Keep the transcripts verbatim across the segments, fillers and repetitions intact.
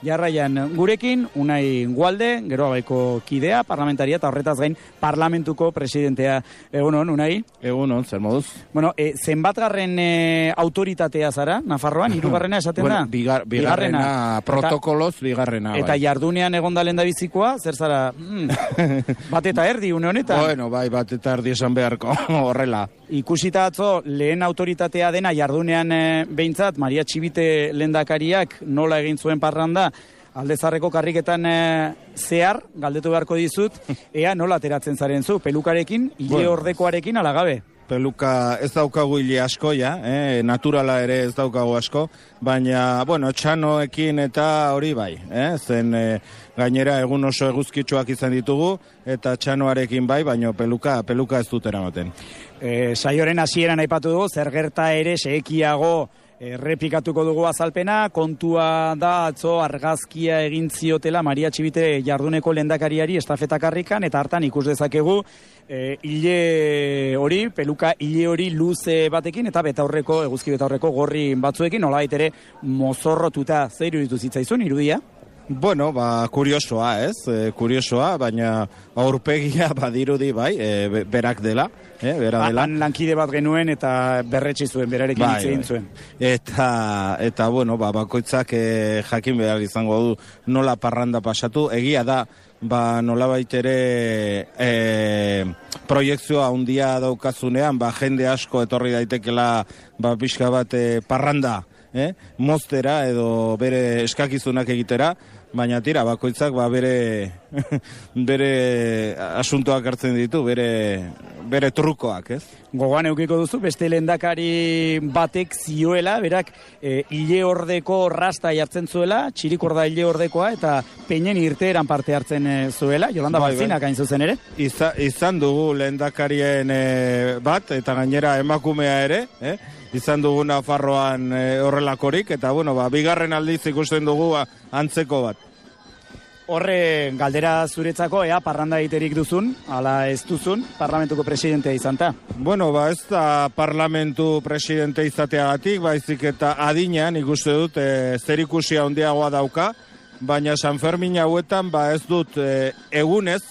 jarraian gurekin, Unai Gualde, Geroabaiko kidea, parlamentaria, eta horretaz gain parlamentuko presidentea. Egunon, Unai? Egunon, zer moduz? Bueno, e, zenbatgarren e, autoritatea zara, Nafarroan, hirugarrena esaten bueno, da? Bigar, bigarrena, bigarrena, protokoloz bigarrena. Eta bai. jardunean egon da lehendabizikoa, zer zara, mm, bat eta erdi, une honetan? Bueno, bai, bat eta erdi esan beharko, horrela. Ikusita atzo, lehen autoritatea dena jardunean e, behintzat, Maria Txibite lehendakariak nola egin zuen parranda, Aldezarreko karriketan e, zehar, galdetu beharko dizut, ea nola ateratzen zaren zu, pelukarekin, hile bueno, ordekoarekin alagabe. Peluka ez daukagu hile asko, ja, eh? Naturala ere ez daukagu asko, baina, bueno, txanoekin eta hori bai, eh? Zen e, gainera egun oso eguzkitsuak izan ditugu, eta txanoarekin bai, baina peluka, peluka ez dut eramaten. E, saioren hasieran aipatu dugu, zer gerta ere sekiago errepikatuko dugu azalpena, kontua da atzo argazkia egin ziotela Maria Txibite jarduneko lehendakariari estafetakarrikan, eta hartan ikus dezakegu e, hile hori, peluka hile hori luze batekin, eta betaurreko, eguzki betaurreko gorri batzuekin, nolabait ere mozorrotuta. Zer iruditu zitzaizun, irudia? Bueno, ba, kuriosoa, ez? E, kuriosoa, baina aurpegia badirudi, bai, e, berak dela, eh, bera dela. Han lankide bat genuen eta berretsi zuen, berarekin hitz egin zuen. Eta, eta, bueno, ba, bakoitzak e, jakin behar izango du nola parranda pasatu. Egia da, ba, nola baitere e, proiektzioa handia daukazunean, ba, jende asko etorri daitekela, ba, pixka bat e, parranda, Eh? moztera edo bere eskakizunak egitera, baina tira, bakoitzak ba, bere bere asuntoak hartzen ditu, bere, bere trukoak, ez? Gogoan eukiko duzu, beste lehendakari batek zioela, berak e, hile ordeko rasta jartzen zuela, txirikorda hile ordekoa, eta peinen irteeran parte hartzen e, zuela, Jolanda bai, Balzinak hain zuzen ere. Iza, izan dugu lehendakarien e, bat, eta gainera emakumea ere, eh? izan dugu Nafarroan e, horrelakorik, eta bueno, ba, bigarren aldiz ikusten dugu ba, antzeko bat. Horre, galdera zuretzako, ea, parranda egiterik duzun, ala ez duzun, parlamentuko presidentea izan ta? Bueno, ba, ez da parlamentu presidente izateagatik, baizik eta adinean ikuste dut e, zerikusia handiagoa dauka, baina San Fermin hauetan, ba, ez dut e, egunez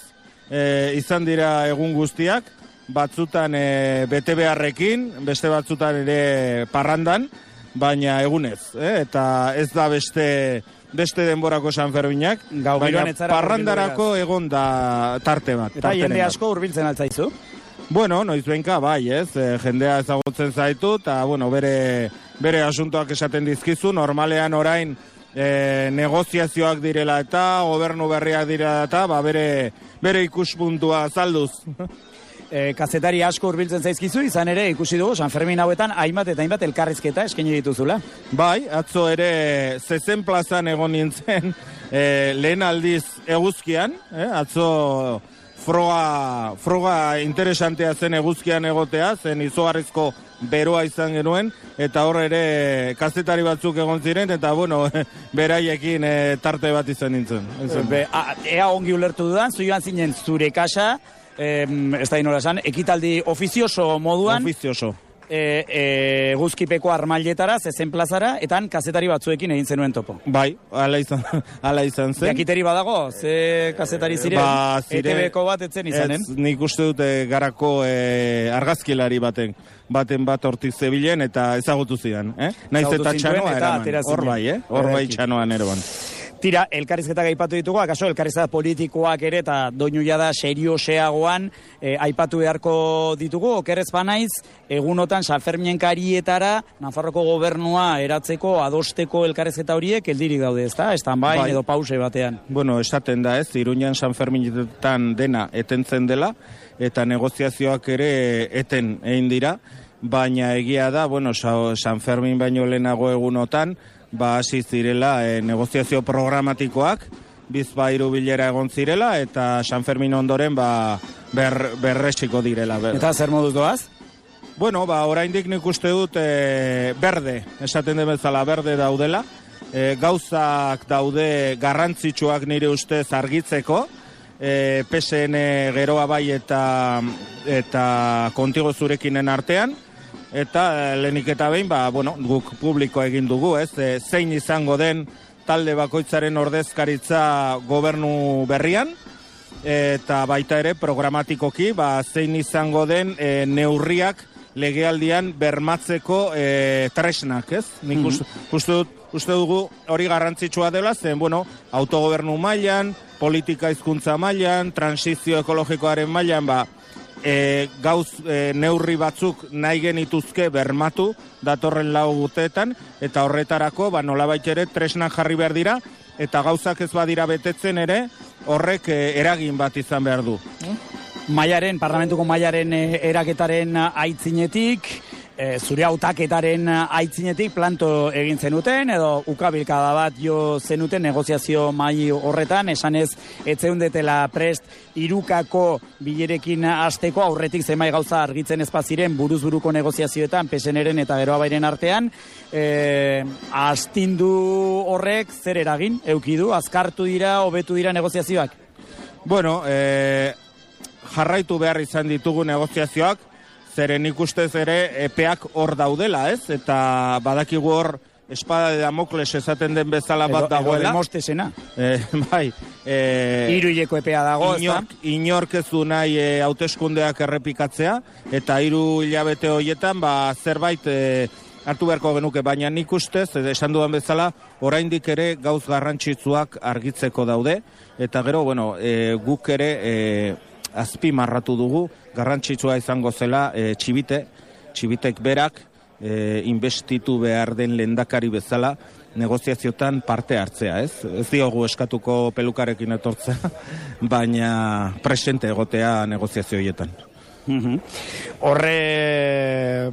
e, izan dira egun guztiak, batzutan e, bete beharrekin, beste batzutan ere parrandan, baina egunez, eh? Eta ez da beste beste denborako San Ferminak, baina parrandarako egon da tarte bat. Eta jende asko hurbiltzen altzaizu? Bueno, noiz benka, bai, ez, e, jendea ezagutzen zaitu, eta, bueno, bere, bere asuntoak esaten dizkizu, normalean orain e, negoziazioak direla eta, gobernu berriak direla eta, ba, bere, bere ikuspuntua zalduz. E, kazetari asko hurbiltzen zaizkizu, izan ere ikusi dugu San Fermin hauetan hainbat eta hainbat elkarrizketa eskaini dituzula. Bai, atzo ere zezen plazan egon nintzen e, lehen aldiz eguzkian, eh? atzo froga, froga interesantea zen eguzkian egotea, zen izugarrizko beroa izan genuen, eta hor ere kazetari batzuk egon ziren, eta bueno, beraiekin e, tarte bat izan nintzen. Be, a, ea ongi ulertu dudan, zu joan zinen zure kasa, Eh, ez da inola esan, ekitaldi ofizioso moduan, ofizioso. E, e, guzkipeko armailetara, zezen plazara, eta han kazetari batzuekin egin zenuen topo. Bai, ala izan, ala izan zen. Jakiteri badago, ze kazetari ziren, ba, zire, E T B-ko bat etzen izanen? Ez, nik uste dute garako e, argazkilari baten, baten bat hortik zebilen, eta ezagutu zidan. Eh? Naiz eta txanoa eraman, hor bai, eh? hor bai txanoan eroan. Tira, elkarrizketak aipatu ditugu, akaso elkarrizketa politikoak ere eta doinu jada serioseagoan e, aipatu beharko ditugu, okerrez banaiz, egunotan San Ferminen karietara Nafarroko gobernua eratzeko, adosteko elkarrizketa horiek eldirik daude, ezta? Estan bain bai. Edo pause batean. Bueno, esaten da ez, Iruñan San Ferminetan dena etentzen dela, eta negoziazioak ere eten egin dira, baina egia da, bueno, San Fermin baino lehenago egunotan, ba hasi zirela e, negoziazio programatikoak, bizpairu bilera egon zirela, eta San Fermin ondoren ba ber, berresiko direla. Ber. Eta zer moduz doaz? Bueno, ba oraindik nik uste dut e, berde, esaten den bezala berde daudela, e, gauzak daude garrantzitsuak nire ustez argitzeko, e, P S N geroa bai eta, eta kontigo zurekinen artean, eta lehenik eta behin, ba, bueno, guk publiko egin dugu, ez, e, zein izango den talde bakoitzaren ordezkaritza gobernu berrian, eta baita ere programatikoki ba, zein izango den e, neurriak legealdian bermatzeko e, tresnak, ez? Nik mm-hmm. uste, uste, uste dugu hori garrantzitsua dela, zen, bueno, autogobernu mailan, politika hizkuntza mailan, transizio ekologikoaren mailan, ba, e, gauz e, neurri batzuk nahi genituzke bermatu datorren lau urteetan, eta horretarako, ba, nolabait ere tresnak jarri behar dira, eta gauzak ez badira betetzen ere, horrek e, eragin bat izan behar du. Maiaren, parlamentuko maiaren e, eraketaren aitzinetik, e, zure hautaketaren aitzinetik planto egin zenuten, edo ukabilkada bat jo zenuten negoziazio mai horretan, esanez etzeundetela prest irukako bilerekin hasteko aurretik zenbait gauza argitzen ez baziren buruz-buruko negoziazioetan, P S N-ren eta Geroa Bairen artean, e, astindu horrek zer eragin eukidu, azkartu dira, hobetu dira negoziazioak? Bueno, e, jarraitu behar izan ditugu negoziazioak, zeren ikustez ere epeak hor daudela, ez? Eta badakigu hor espada de Damokles esaten den bezala bat edo, dagoela. Edo Demostesena. E, bai. E, Hiruileko epea dago, inork, inork ez du nahi e, hauteskundeak errepikatzea, eta hiru hilabete horietan, ba, zerbait e, hartu beharko genuke, baina nik ustez, esan dudan bezala, oraindik ere gauz garrantzitsuak argitzeko daude, eta gero, bueno, e, guk ere e, azpi marratu dugu, garrantzitsua izango zela e, txibite, txibitek berak, e, investitu behar den lehendakari bezala, negoziaziotan parte hartzea, ez? Ez diogu eskatuko pelukarekin etortzea, baina presente egotea negoziazio horietan. Mm-hmm. Horre,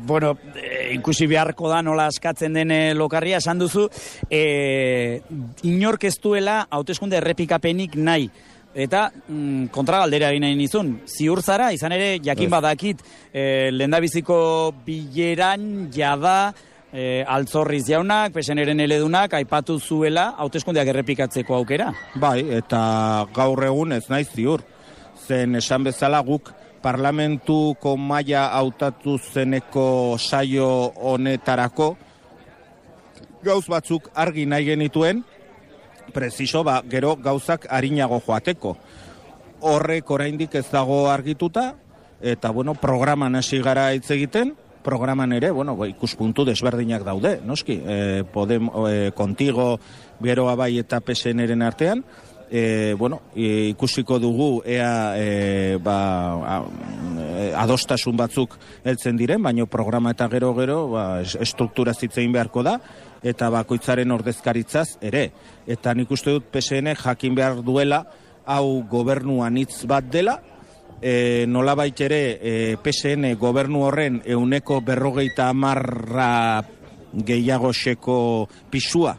bueno, e, ikusi beharko da nola askatzen den lokarria, esan duzu, e, inork ez duela hauteskunde errepikapenik nahi. Eta mm, kontragaldera egin nahi nizun, ziur zara, izan ere, jakin badakit, e, lehendabiziko bileran jada e, Altzorriz jaunak, P S N-ren eledunak, aipatu zuela hauteskundeak errepikatzeko aukera. Bai, eta gaur egun ez naiz ziur. Zen esan bezala guk parlamentuko maila hautatu zeneko saio honetarako gauz batzuk argi nahi genituen, preciso, ba, gero gauzak arinago joateko. Horrek oraindik ez dago argituta, eta, bueno, programan hasi gara hitz egiten, programan ere, bueno, ikuspuntu desberdinak daude, noski, e, Podem, e, Contigo, Geroa Bai eta P S N-ren artean, e, bueno, e, ikusiko dugu ea e, ba, a, e, adostasun batzuk heltzen diren, baina programa eta gero-gero ba, estruktura zitzein beharko da, eta bakoitzaren ordezkaritzaz ere. Eta nik uste dut P S N jakin behar duela hau gobernuan hitz bat dela, e, nolabait ere e, P S N gobernu horren euneko berrogeita hamarra gehiago xeko pisua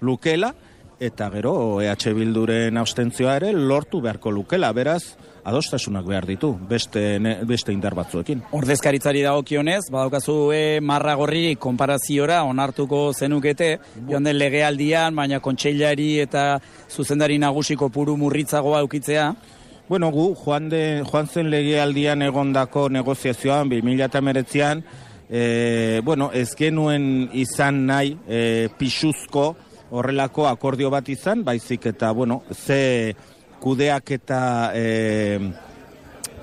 lukela, eta gero E H Bilduren abstentzioa ere lortu beharko lukela, beraz, adostasunak behar ditu, beste, ne, beste indar batzuekin. Ordezkaritzari dagokionez, badaukazu e, marra gorri konparaziora onartuko zenukete, joan den legealdian, baina kontseilari eta zuzendari nagusiko puru murritzagoa eukitzea. Bueno, gu, joan, de, joan zen legealdian egondako negoziazioan, bi mila hemeretzian, e, bueno, ez genuen izan nahi e, pixuzko horrelako akordio bat izan, baizik eta, bueno, ze kudeak eta e,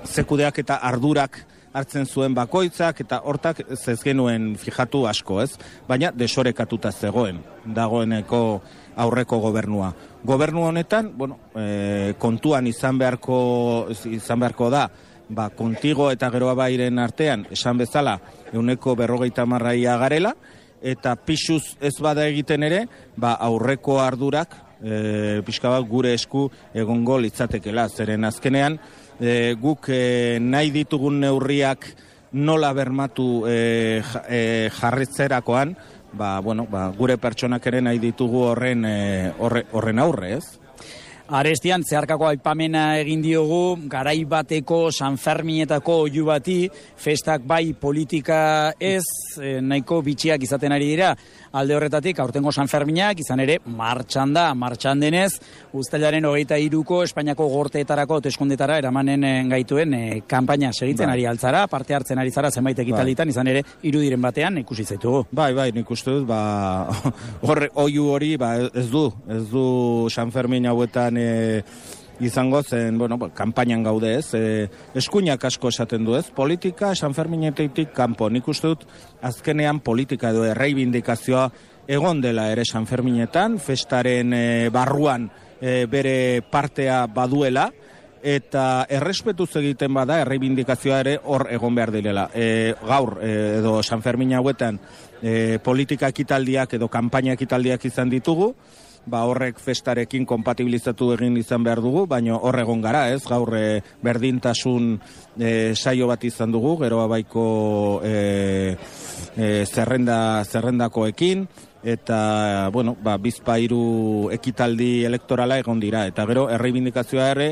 ze kudeak eta ardurak hartzen zuen bakoitzak, eta hortak ez genuen fijatu asko, ez? Baina desorekatuta zegoen, dagoeneko aurreko gobernua. Gobernu honetan, bueno, e, kontuan izan beharko, izan beharko da, ba, Contigo eta Geroa Bairen artean, esan bezala, euneko berrogeita marraia garela, eta pixuz ez bada egiten ere, ba, aurreko ardurak, e, pixka bat gure esku egongo litzatekela, zeren azkenean, e, guk e, nahi ditugun neurriak nola bermatu e, e, jarritzerakoan, ba, bueno, ba, gure pertsonak ere nahi ditugu horren, e, horre, horren aurre, ez? Arestian, zeharkako aipamena egin diogu, garai bateko San Ferminetako oihu bati, festak bai politika ez, eh, nahiko bitxiak izaten ari dira. alde horretatik aurtengo San Ferminak izan ere martxan da, martxan denez, uztailaren hogeita hiruko Espainiako gorteetarako hauteskundetara eramanen gaituen e, kanpaina segitzen bai. ari altzara, parte hartzen ari zara zenbait ekitalditan, izan ere irudiren batean ikusi zaitugu. Bai, bai, nik uste dut, ba, horre, oiu hori, ba, ez du, ez du San Fermin hauetan e, izango zen, bueno, kanpainan gaude ez, e, eskuinak asko esaten du ez, politika San Ferminetetik kanpo, nik uste dut azkenean politika edo erreibindikazioa egon dela ere San Ferminetan, festaren e, barruan e, bere partea baduela, eta errespetuz egiten bada, erreibindikazioa ere hor egon behar direla. E, gaur, e, edo San Fermin hauetan e, politika ekitaldiak edo kanpaina ekitaldiak izan ditugu, ba horrek festarekin konpatibilizatu egin izan behar dugu, baina hor egon gara, ez? Gaur e, berdintasun e, saio bat izan dugu, gero abaiko e, e, zerrenda, zerrendakoekin, eta, bueno, ba, bizpairu ekitaldi elektorala egon dira, eta gero erreibindikazioa ere,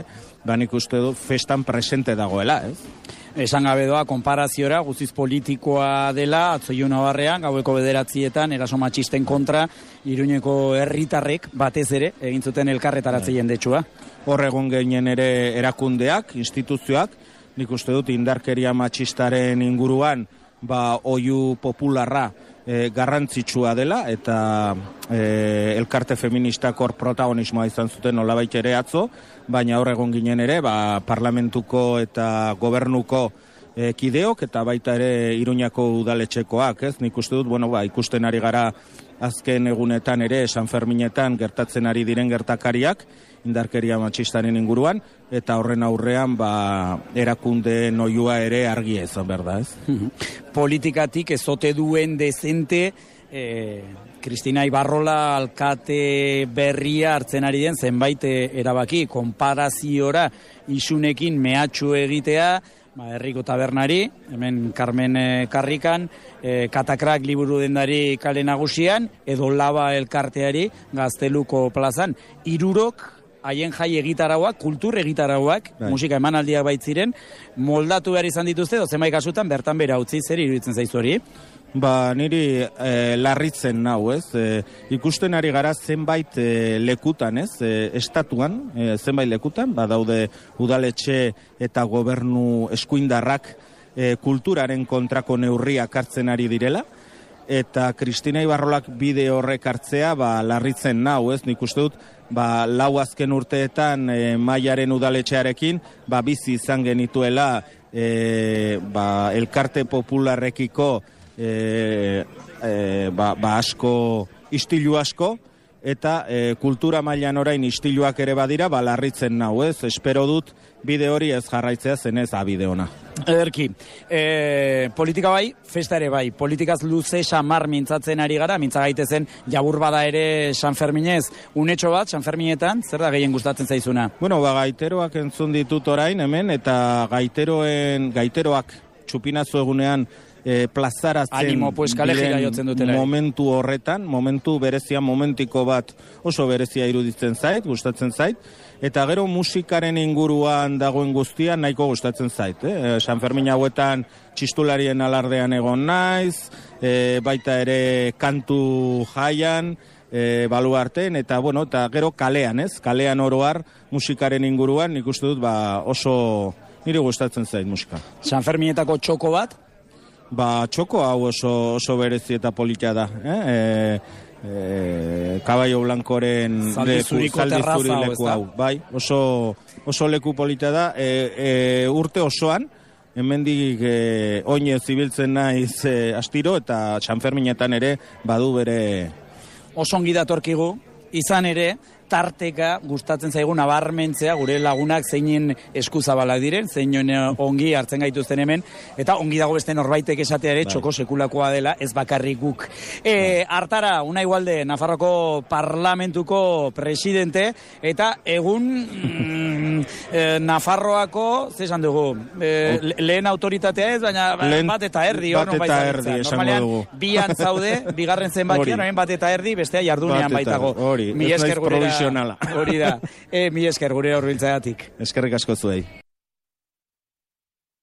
ba nik uste du festan presente dagoela, ez? Esan gabe doa, konparaziora, guztiz politikoa dela, atzoiu nabarrean, gaueko bederatzietan, eraso matxisten kontra, Iruñeko herritarrek batez ere, egin zuten elkarretaratze jendetsua. Hor egon gehien ere erakundeak, instituzioak, nik uste dut indarkeria matxistaren inguruan, ba, oiu popularra e, garrantzitsua dela, eta e, elkarte feministak hor protagonismoa izan zuten nolabait ere atzo, baina hor egon ginen ere, ba, parlamentuko eta gobernuko e, kideok, eta baita ere Iruñako udaletxekoak, ez? Nik uste dut, bueno, ba, ikusten ari gara azken egunetan ere, San Ferminetan gertatzen ari diren gertakariak, indarkeria matxistaren inguruan, eta horren aurrean, ba, erakunde noioa ere argi ezan, berda, ez? Politikatik ezote duen dezente, eh, Kristina Ibarrola alkate berria hartzen ari den zenbait erabaki, konparaziora isunekin mehatxu egitea, ba, herriko tabernari, hemen Carmen eh, Karrikan, eh, Katakrak liburu dendari kale nagusian, edo Laba elkarteari Gazteluko plazan. Hirurok haien jai egitarauak, kultur egitarauak, bai. Musika emanaldiak baitziren, moldatu behar izan dituzte, edo zenbait kasutan bertan bera utzi, zer iruditzen zaizu hori? Ba, niri e, larritzen nau, ez? E, ikusten ari gara zenbait e, lekutan, ez? E, estatuan, e, zenbait lekutan, ba, daude udaletxe eta gobernu eskuindarrak e, kulturaren kontrako neurriak hartzen ari direla, eta Kristina Ibarrolak bide horrek hartzea, ba, larritzen nau, ez? Nik uste dut, ba, lau azken urteetan e, Maiaren udaletxearekin, ba, bizi izan genituela e, ba, elkarte popularrekiko E, e, ba, ba asko, istilu asko, eta e, kultura mailan orain istiluak ere badira, ba larritzen nau, ez? Espero dut bide hori ez jarraitzea zenez abide ona. Ederki, e, politika bai, festa ere bai, politikaz luze xamar mintzatzen ari gara, mintza gaitezen jabur bada ere San Ferminez, unetxo bat, San Ferminetan, zer da gehien gustatzen zaizuna? Bueno, ba gaiteroak entzun ditut orain hemen, eta gaiteroen, gaiteroak txupinazu egunean, E, plazaratzen Animo, pues, momentu horretan, momentu berezia, momentiko bat oso berezia iruditzen zait, gustatzen zait, eta gero musikaren inguruan dagoen guztia nahiko gustatzen zait. Eh? San Fermin hauetan txistularien alardean egon naiz, e, baita ere kantu jaian, e, baluarten, eta bueno, eta gero kalean, ez? Kalean oroar musikaren inguruan, nik uste dut, ba, oso niri gustatzen zait musika. San Ferminetako txoko bat? Ba, txoko hau oso, oso berezi eta polita da. Eh? E, e, Kabaio Blankoren zaldi zuriko terraza leku hau. Bai, oso, oso leku polita da. E, e, urte osoan, hemendik e, oinez zibiltzen naiz e, astiro, eta San Ferminetan ere badu bere... Oso ongi datorkigu, izan ere, tarteka gustatzen zaigu nabarmentzea gure lagunak zeinen eskuzabalak diren, zeinen ongi hartzen gaituzten hemen, eta ongi dago beste norbaitek esatea ere txoko sekulakoa dela, ez bakarrik guk. E, hartara, Unai Ugalde, Nafarroko parlamentuko presidente, eta egun mm, e, Nafarroako, zesan dugu, e, lehen autoritatea ez, baina lehen, bat eta erdi, bat eta erdi, esango dugu. Bian zaude, bigarren zenbakian, orain bat eta erdi, bestea jardunean baitago. Hori, ez naiz provisionala. Hori da, e, mi esker gure horbiltzeagatik. Eskerrik asko zuei.